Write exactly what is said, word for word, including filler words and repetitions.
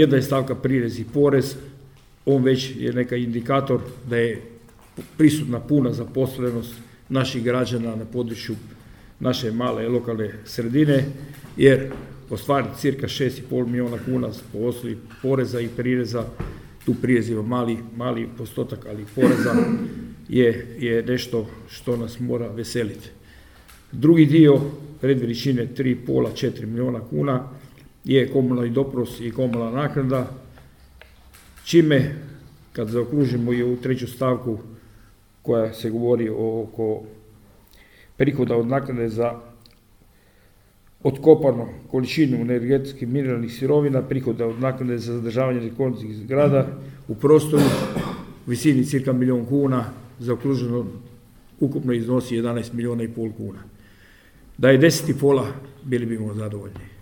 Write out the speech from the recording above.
Jedna je stavka prirez i porez, on već je neka indikator da je prisutna puna zaposlenost naših građana na području naše male lokalne sredine, jer ostvariti cirka šest i pol milijuna kuna po osnovi poreza i prireza, tu prirez ima mali, mali postotak, ali poreza je, je nešto što nas mora veseliti. Drugi dio predveličine tri i pol do četiri milijuna kuna je komunalni doprinos i komunalna naknada, čime, kad zaokružimo i ovu treću stavku koja se govori oko prihoda od naknade za otkopanu količinu energetskih mineralnih sirovina, prihoda od naknade za zadržavanje nekonskih zgrada u prostoru u visini cirka milijun kuna, zaokruženo ukupno iznosi jedanaest milijuna i pol kuna. Da je deset i pola, bili bimo zadovoljni.